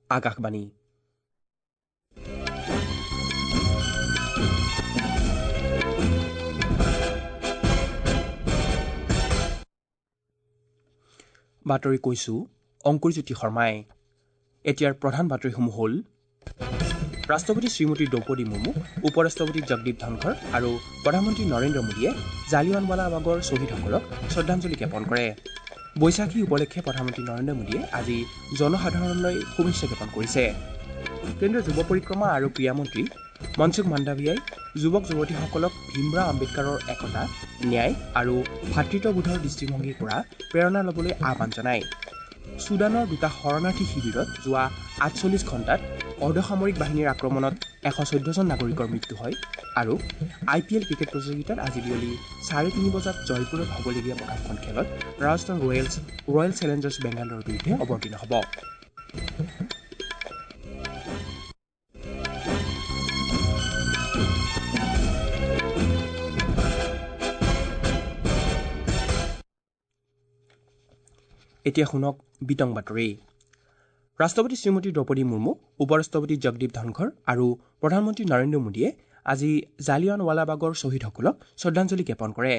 আকাশবাণী। বাতৰি কৈছো অংকুৰজ্যোতি শৰ্মাই। এতিয়াৰ প্ৰধান বাতৰিসমূহ হ'ল: ৰাষ্ট্ৰপতি শ্ৰীমতী দ্ৰৌপদী মুৰ্মু, উপ-ৰাষ্ট্ৰপতি জগদীপ ধনখৰ আৰু প্ৰধানমন্ত্ৰী নৰেন্দ্ৰ মোদীয়ে জালিয়ানৱালাবাগৰ শ্বহীদসকলক শ্ৰদ্ধাঞ্জলি জ্ঞাপন কৰে। বৈশাখী উপলক্ষে প্ৰধানমন্ত্ৰী নৰেন্দ্ৰ মোদীয়ে আজি জনসাধাৰণলৈ শুভেচ্ছা জ্ঞাপন কৰিছে। কেন্দ্ৰীয় যুৱ পৰিক্ৰমা আৰু ক্ৰীড়ামন্ত্ৰী মনসুখ মাণ্ডাভিয়াই যুৱক যুৱতীসকলক ভীমৰাও আম্বেদকাৰৰ একতা, ন্যায় আৰু ভাতৃত্ববোধৰ দৃষ্টিভংগীৰ পৰা প্ৰেৰণা ল'বলৈ আহ্বান জনায়। ছুডানৰ দুটা শৰণাৰ্থী শিবিৰত যোৱা 48 ঘণ্টাত অৰ্ধসামৰিক বাহিনীৰ আক্ৰমণত 114জন নাগৰিকৰ মৃত্যু হয়। আৰু আই পি এল ক্ৰিকেট প্ৰতিযোগিতাত আজি বিয়লি 3:30 বজাত জয়পুৰত হ'বলগীয়া প্ৰথমখন খেলত ৰাজস্থান ৰয়েলছ ৰয়েল চেলেঞ্জাৰ্ছ বেংগালোৰৰ বিৰুদ্ধে অৱতীৰ্ণ হ'ব। এতিয়া শুনক বিতং বাতৰি। ৰাষ্ট্ৰপতি শ্ৰীমতী দ্ৰৌপদী মুৰ্মু, উপ-ৰাষ্ট্ৰপতি জগদীপ ধনখৰ আৰু প্ৰধানমন্ত্ৰী নৰেন্দ্ৰ মোদীয়ে আজি জালিয়ানৱালাবাগৰ শ্বহীদসকলক শ্ৰদ্ধাঞ্জলি জ্ঞাপন কৰে।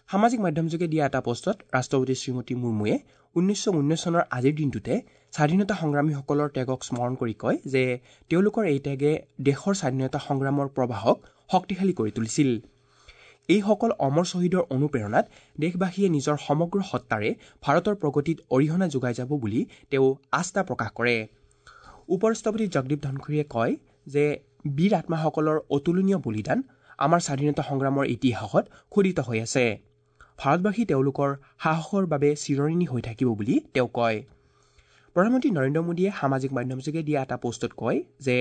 সামাজিক মাধ্যমযোগে দিয়া এটা পোষ্টত ৰাষ্ট্ৰপতি শ্ৰীমতী মুৰ্মুৱে 1919 চনৰ আজিৰ দিনটোতে স্বাধীনতা সংগ্ৰামীসকলৰ ত্যাগক স্মৰণ কৰি কয় যে তেওঁলোকৰ এই ত্যাগে দেশৰ স্বাধীনতা সংগ্ৰামৰ প্ৰবাহক শক্তিশালী কৰি তুলিছিল। এইসকল অমৰ শ্বহীদৰ অনুপ্ৰেৰণাত দেশবাসীয়ে নিজৰ সমগ্ৰ সত্তাৰে ভাৰতৰ প্ৰগতিত অৰিহণা যোগাই যাব বুলি তেওঁ আস্থা প্ৰকাশ কৰে। উপ-ৰাষ্ট্ৰপতি জগদীপ ধনখৰে কয় যে বীৰ আত্মাসকলৰ অতুলনীয় বলিদান আমাৰ স্বাধীনতা সংগ্ৰামৰ ইতিহাসত খোদিত হৈ আছে। ভাৰতবাসী তেওঁলোকৰ সাহসৰ বাবে চিৰঋণী হৈ থাকিব বুলি তেওঁ কয়। প্ৰধানমন্ত্ৰী নৰেন্দ্ৰ মোদীয়ে সামাজিক মাধ্যমযোগে দিয়া এটা পোষ্টত কয় যে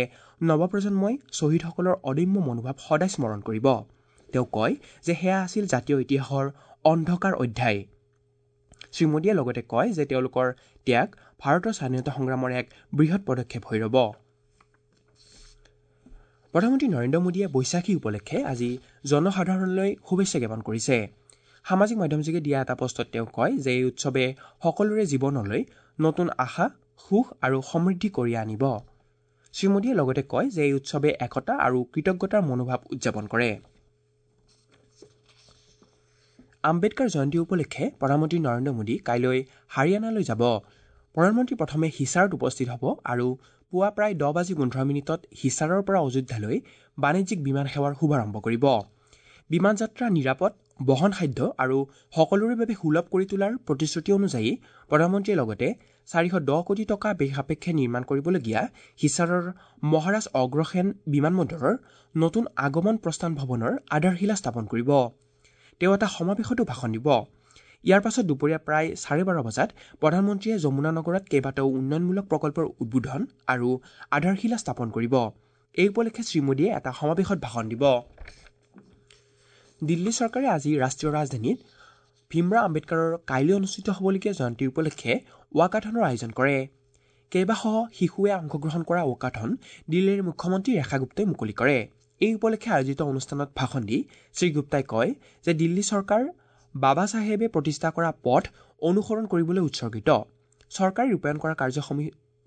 নৱপ্ৰজন্মই শ্বহীদসকলৰ অদম্য মনোভাৱ সদায় স্মৰণ কৰিব। তেওঁ কয় যে সেয়া আছিল জাতীয় ইতিহাসৰ অন্ধকাৰ অধ্যায়। শ্ৰীমোদীয়ে লগতে কয় যে তেওঁলোকৰ ত্যাগ ভাৰতৰ স্বাধীনতা সংগ্ৰামৰ এক বৃহৎ পদক্ষেপ হৈ ৰ'ব। প্ৰধানমন্ত্ৰী নৰেন্দ্ৰ মোদীয়ে বৈশাখী উপলক্ষে আজি জনসাধাৰণলৈ শুভেচ্ছা জ্ঞাপন কৰিছে। সামাজিক মাধ্যমযোগে দিয়া এটা পোষ্টত তেওঁ কয় যে এই উৎসৱে সকলোৰে জীৱনলৈ নতুন আশা, সুখ আৰু সমৃদ্ধি কঢ়িয়াই আনিব। শ্ৰীমোদীয়ে লগতে কয় যে এই উৎসৱে একতা আৰু কৃতজ্ঞতাৰ মনোভাৱ উদযাপন কৰে। আম্বেদকাৰ জয়ন্তী উপলক্ষে প্ৰধানমন্ত্ৰী নৰেন্দ্ৰ মোদী কাইলৈ হাৰিয়ানালৈ যাব। প্ৰধানমন্ত্ৰী প্ৰথমে হিছাৰত উপস্থিত হ'ব আৰু পুৱা প্ৰায় 10:15 হিছাৰৰ পৰা অযোধ্যালৈ বাণিজ্যিক বিমান সেৱাৰ শুভাৰম্ভ কৰিব। বিমান যাত্ৰা নিৰাপদ, বহনসাধ্য আৰু সকলোৰে বাবে সুলভ কৰি তোলাৰ প্ৰতিশ্ৰুতি অনুযায়ী প্ৰধানমন্ত্ৰীয়ে লগতে 410 কোটি টকা ব্যয় সাপেক্ষে নিৰ্মাণ কৰিবলগীয়া হিছাৰৰ মহাৰাজ অগ্ৰসেন বিমানবন্দৰৰ নতুন আগমন প্ৰস্থান ভৱনৰ আধাৰশিলা স্থাপন কৰিব। তেওঁ এটা সমাৱেশতো ভাষণ দিব। ইয়াৰ পাছত দুপৰীয়া প্ৰায় 12:30 বজাত প্ৰধানমন্ত্ৰীয়ে যমুনা নগৰত কেইবাটাও উন্নয়নমূলক প্ৰকল্পৰ উদ্বোধন আৰু আধাৰশিলা স্থাপন কৰিব। এই উপলক্ষে শ্ৰীমোদীয়ে এটা সমাৱেশত ভাষণ দিব। দিল্লী চৰকাৰে আজি ৰাষ্ট্ৰীয় ৰাজধানীত ভীমৰাও আম্বেদকাৰৰ কাইলৈ অনুষ্ঠিত হ'বলগীয়া জয়ন্তী উপলক্ষে ৱাকাথনৰ আয়োজন কৰে। কেইবাশ শিশুৱে অংশগ্ৰহণ কৰা ৱাকাথন দিল্লীৰ মুখ্যমন্ত্ৰী ৰেখা গুপ্তাই মুকলি কৰে। এই উপলক্ষে আয়োজিত অনুষ্ঠানত ভাষণ দি শ্ৰীগুপ্তাই কয় যে দিল্লী চৰকাৰ বাবা চাহেবে প্ৰতিষ্ঠা কৰা পথ অনুসৰণ কৰিবলৈ উৎসৰ্গিত। চৰকাৰে ৰূপায়ণ কৰা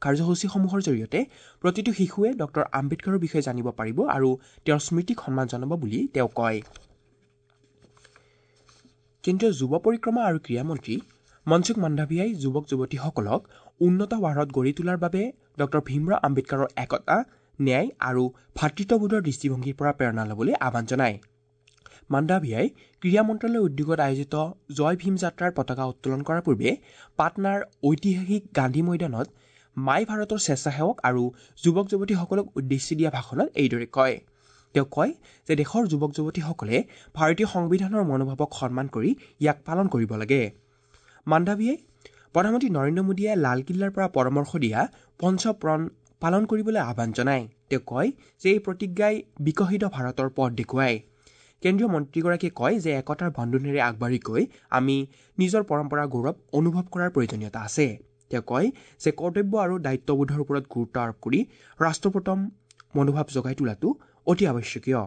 কাৰ্যসূচীসমূহৰ জৰিয়তে প্ৰতিটো শিশুৱে ডক্টৰ আম্বেদকাৰৰ বিষয়ে জানিব পাৰিব আৰু তেওঁৰ স্মৃতিক সন্মান জনাব বুলি তেওঁ কয়। কেন্দ্ৰীয় যুৱ পৰিক্ৰমা আৰু ক্ৰীড়ামন্ত্ৰী মনসুখ মাণ্ডাভিয়াই যুৱক যুৱতীসকলক উন্নত ভাৰত গঢ়ি তোলাৰ বাবে ডক্টৰ ভীমৰাও আম্বেদকাৰৰ একতা, ন্যায় আৰু ভাতৃত্ববোধৰ দৃষ্টিভংগীৰ পৰা প্ৰেৰণা ল'বলৈ আহ্বান জনায়। মাণ্ডাভিয়াই ক্ৰীড়া মন্ত্ৰালয়ৰ উদ্যোগত আয়োজিত জয় ভীম যাত্ৰাৰ পতাকা উত্তোলন কৰাৰ পূৰ্বে পাটনাৰ ঐতিহাসিক গান্ধী ময়দানত মাই ভাৰতৰ স্বেচ্ছাসেৱক আৰু যুৱক যুৱতীসকলক উদ্দেশ্যি দিয়া ভাষণত এইদৰে কয়। তেওঁ কয় যে দেশৰ যুৱক যুৱতীসকলে ভাৰতীয় সংবিধানৰ মনোভাৱক সন্মান কৰি ইয়াক পালন কৰিব লাগে। মাণ্ডাভিয়াই প্ৰধানমন্ত্ৰী নৰেন্দ্ৰ মোদীয়ে লালকিল্লাৰ পৰা পৰামৰ্শ দিয়া পঞ্চপ্ৰণ পালন কৰিবলৈ আহ্বান জনায়। তেওঁ কয় যে এই প্ৰতিজ্ঞাই বিকশিত ভাৰতৰ পথ দেখুৱায়। কেন্দ্ৰীয় মন্ত্ৰীগৰাকীয়ে কয় যে একতাৰ বান্ধোনেৰে আগবাঢ়ি গৈ আমি নিজৰ পৰম্পৰাৰ গৌৰৱ অনুভৱ কৰাৰ প্ৰয়োজনীয়তা আছে। তেওঁ কয় যে কৰ্তব্য আৰু দায়িত্ববোধৰ ওপৰত গুৰুত্ব আৰোপ কৰি ৰাষ্ট্ৰপ্ৰথম মনোভাৱ জগাই তোলাটো অতি আৱশ্যকীয়।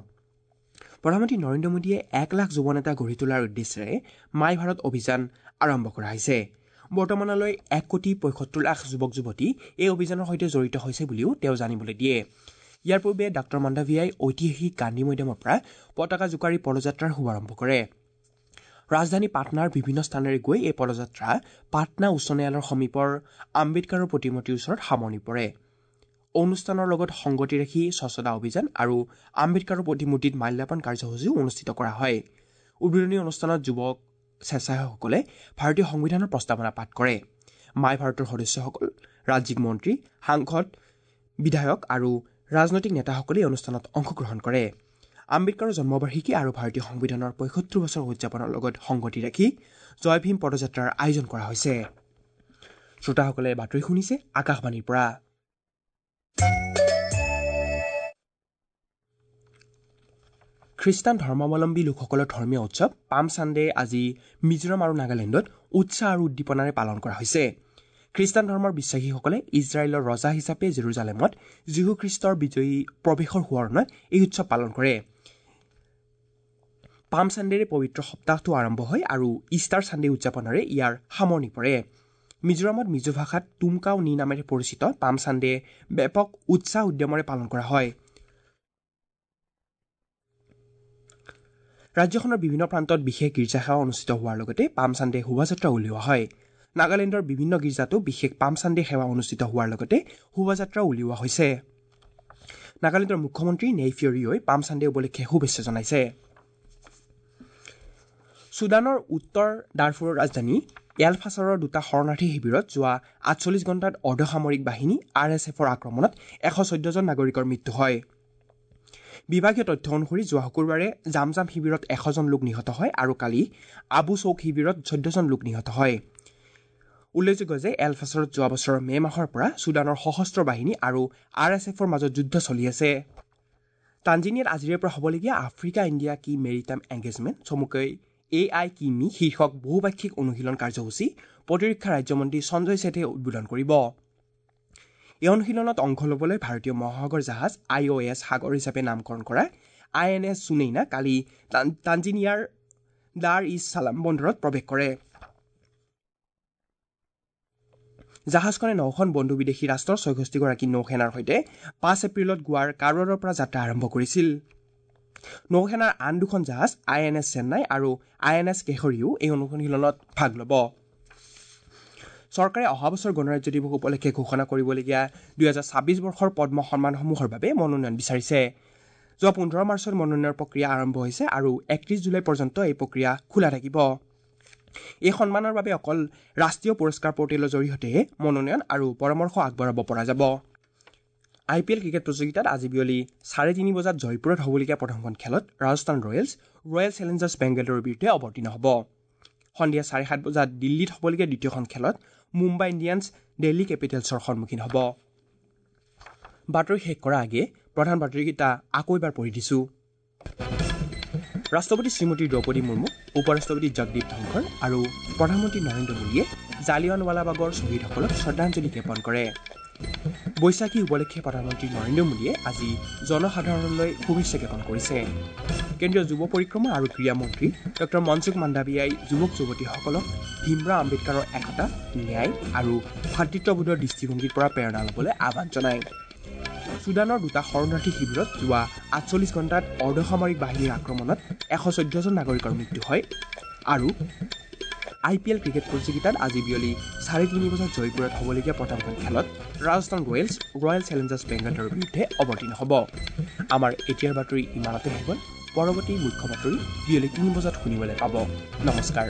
প্ৰধানমন্ত্ৰী নৰেন্দ্ৰ মোদীয়ে 1 লাখ যুৱ নেতা গঢ়ি তোলাৰ উদ্দেশ্যেৰে মাই ভাৰত অভিযান আৰম্ভ কৰা হৈছে। বৰ্তমানলৈ 1,75,00,000 যুৱক যুৱতী এই অভিযানৰ সৈতে জড়িত হৈছে বুলিও তেওঁ জানিবলৈ দিয়ে। ইয়াৰ পূৰ্বে ডাঃ মাণ্ডাভিয়াই ঐতিহাসিক গান্ধী মৈদামৰ পৰা পতাকা জোকাৰি পদযাত্ৰাৰ শুভাৰম্ভ কৰে। ৰাজধানী পাটনাৰ বিভিন্ন স্থানেৰে গৈ এই পদযাত্ৰা পাটনা উচ্চ ন্যায়ালয়ৰ সমীপৰ আম্বেদকাৰৰ প্ৰতিমূৰ্তিৰ ওচৰত সামৰণি পৰে। অনুষ্ঠানৰ লগত সংগতি ৰাখি স্বচ্ছতা অভিযান আৰু আম্বেদকাৰৰ প্ৰতিমূৰ্তিত মাল্যাৰ্পণ কাৰ্যসূচীও অনুষ্ঠিত কৰা হয়। উদ্বোধনী অনুষ্ঠানত যুৱক স্বেচ্ছাসেৱকসকলে ভাৰতীয় সংবিধানৰ প্ৰস্তাৱনা পাঠ কৰে। মাই ভাৰতৰ সদস্যসকল, ৰাজ্যিক মন্ত্ৰী, সাংসদ, বিধায়ক আৰু ৰাজনৈতিক নেতাসকলে এই অনুষ্ঠানত অংশগ্ৰহণ কৰে। আম্বেদকাৰৰ জন্মবাৰ্ষিকী আৰু ভাৰতীয় সংবিধানৰ 75 বছৰ উদযাপনৰ লগত সংগতি ৰাখি জয় ভীম পদযাত্ৰাৰ আয়োজন কৰা হৈছে। শ্ৰোতাসকলে বাতৰি শুনিছে আকাশবাণীৰ পৰা। খ্ৰীষ্টান ধৰ্মাৱলম্বী লোকসকলৰ ধৰ্মীয় উৎসৱ পাম ছানডে আজি মিজোৰাম আৰু নাগালেণ্ডত উৎসাহ আৰু উদ্দীপনাৰে পালন কৰা হৈছে। খ্ৰীষ্টান ধৰ্মৰ বিশ্বাসীসকলে ইজৰাইলৰ ৰজা হিচাপে জেৰুজালেমত যীশুখ্ৰীষ্টৰ বিজয়ী প্ৰৱেশৰ সোঁৱৰণত এই উৎসৱ পালন কৰে। পাম ছানডেৰে পবিত্ৰ সপ্তাহটো আৰম্ভ হয় আৰু ইষ্টাৰ ছানডে উদযাপনেৰে ইয়াৰ সামৰণি পৰে। মিজোৰামত মিজো ভাষাত টুমকাও নি নামেৰে পৰিচিত পাম ছানডে ব্যাপক উৎসাহ উদ্যমেৰে পালন কৰা হয়। ৰাজ্যখনৰ বিভিন্ন প্ৰান্তত বিশেষ গীৰ্জা সেৱা অনুষ্ঠিত হোৱাৰ লগতে পাম ছানডে শোভাযাত্ৰা উলিওৱা হয়। নাগালেণ্ডৰ বিভিন্ন গীৰ্জাতো বিশেষ পাম ছানডে সেৱা অনুষ্ঠিত হোৱাৰ লগতে শোভাযাত্ৰা উলিওৱা হৈছে। নাগালেণ্ডৰ মুখ্যমন্ত্ৰী নেইফিঅ' ৰিঅ'ই পাম ছানডে উপলক্ষে শুভেচ্ছা জনাইছে। ছুডানৰ উত্তৰ দাৰফুৰৰ ৰাজধানী এল ফাছাৰৰ দুটা শৰণাৰ্থী শিবিৰত যোৱা 48 ঘণ্টাত অৰ্ধসামৰিক বাহিনী আৰ এছ এফৰ আক্ৰমণত 114জন নাগৰিকৰ মৃত্যু হয়। বিভাগীয় তথ্য অনুসৰি যোৱা শুকুৰবাৰে জামজাম শিবিৰত 100জন লোক নিহত হয় আৰু কালি আবু চৌক শিবিৰত 14জন লোক নিহত হয়। উল্লেখযোগ্য যে এল ফাছাৰত যোৱা বছৰৰ মে' মাহৰ পৰা ছুডানৰ সশস্ত্ৰ বাহিনী আৰু আৰ এছ এফৰ মাজত যুদ্ধ চলি আছে। তাঞ্জিনিয়াত আজিৰে পৰা হ'বলগীয়া আফ্ৰিকা ইণ্ডিয়া কি মেৰিটাইম এংগেজমেণ্ট চমুকৈ এ I কিমি শীৰ্ষক বহুপাক্ষিক অনুশীলন কাৰ্যসূচী প্ৰতিৰক্ষা ৰাজ্যমন্ত্ৰী সঞ্জয় ছেঠে উদ্বোধন কৰিব। এই অনুশীলনত অংশ ল'বলৈ ভাৰতীয় মহাসাগৰ জাহাজ আই অ' এছ সাগৰ হিচাপে নামকৰণ কৰা আই এন এছ সুনেইনা কালি তাঞ্জিনিয়াৰ দাৰ ইছ ছালাম বন্দৰত প্ৰৱেশ কৰে। জাহাজখনে 9খন বন্ধু বিদেশী ৰাষ্ট্ৰৰ 66গৰাকী নৌসেনাৰ সৈতে 5 এপ্ৰিলত গোৱাৰ কাৰৱাৰৰ পৰা যাত্ৰা আৰম্ভ কৰিছিল। নৌসেনাৰ আন দুখন জাহাজ আই এন এছ চেন্নাই আৰু আই এন এছ কেশৰীও এই অনুশীলনত ভাগ ল'ব। চৰকাৰে অহা বছৰ গণৰাজ্য দিৱস উপলক্ষে ঘোষণা কৰিবলগীয়া 2026 বৰ্ষৰ পদ্ম সন্মানসমূহৰ বাবে মনোনয়ন বিচাৰিছে। যোৱা 15 মাৰ্চত মনোনয়নৰ প্ৰক্ৰিয়া আৰম্ভ হৈছে আৰু 31 জুলাই পৰ্যন্ত এই প্ৰক্ৰিয়া খোলা থাকিব। এই সন্মানৰ বাবে অকল ৰাষ্ট্ৰীয় পুৰস্কাৰ পৰ্টেলৰ জৰিয়তেহে মনোনয়ন আৰু পৰামৰ্শ আগবঢ়াব পৰা যাব। আই পি এল ক্ৰিকেট প্ৰতিযোগিতাত আজি বিয়লি 3:30 বজাত জয়পুৰত হ'বলগীয়া প্ৰথমখন খেলত ৰাজস্থান ৰয়েলছ ৰয়েল চেলেঞ্জাৰ্ছ বেংগালুৰুৰ বিৰুদ্ধে অৱতীৰ্ণ হ'ব। সন্ধিয়া 7:30 বজাত দিল্লীত হ'বলগীয়া দ্বিতীয়খন খেলত মুম্বাই ইণ্ডিয়ানছ দিল্লী কেপিটেলছৰ সন্মুখীন হ'ব। বাতৰি শেষ কৰাৰ আগে প্ৰধান বাতৰিকেইটা আকৌ এবাৰ পঢ়ি দিছোঁ। ৰাষ্ট্ৰপতি শ্ৰীমতী দ্ৰৌপদী মুৰ্মু, উপ ৰাষ্ট্ৰপতি জগদীপ ধনখৰ আৰু প্ৰধানমন্ত্ৰী নৰেন্দ্ৰ মোদীয়ে জালিয়ানৱালাবাগৰ শ্বহীদসকলক শ্ৰদ্ধাঞ্জলি জ্ঞাপন কৰে। বৈশাখী উপলক্ষে প্ৰধানমন্ত্ৰী নৰেন্দ্ৰ মোদীয়ে আজি জনসাধাৰণলৈ শুভেচ্ছা জ্ঞাপন কৰিছে। কেন্দ্ৰীয় যুৱ পৰিক্ৰমা আৰু ক্ৰীড়া মন্ত্ৰী ডঃ মনসুখ মাণ্ডাভিয়াই যুৱক যুৱতীসকলক ভীমৰাও আম্বেদকাৰৰ একতা, ন্যায় আৰু ভাতৃত্ববোধৰ দৃষ্টিভংগীৰ পৰা প্ৰেৰণা ল'বলৈ আহ্বান জনায়। ছুডানৰ দুটা শৰণাৰ্থী শিবিৰত যোৱা 48 ঘণ্টাত অৰ্ধসামৰিক বাহিনীৰ আক্ৰমণত 114জন নাগৰিকৰ মৃত্যু হয়। আৰু আই পি এল ক্ৰিকেট প্ৰতিযোগিতাত আজি বিয়লি 3:30 বজাত জয়পুৰত হ'বলগীয়া প্ৰথমখন খেলত ৰাজস্থান ৰয়েলছ ৰয়েল চেলেঞ্জাৰ্ছ বেংগালুৰুৰ বিৰুদ্ধে অৱতীৰ্ণ হ'ব। আমাৰ এতিয়াৰ বাতৰি ইমানতে শেষ হ'ল। পৰৱৰ্তী মুখ্য বাতৰি বিয়লি 3 বজাত শুনিবলৈ পাব। নমস্কাৰ।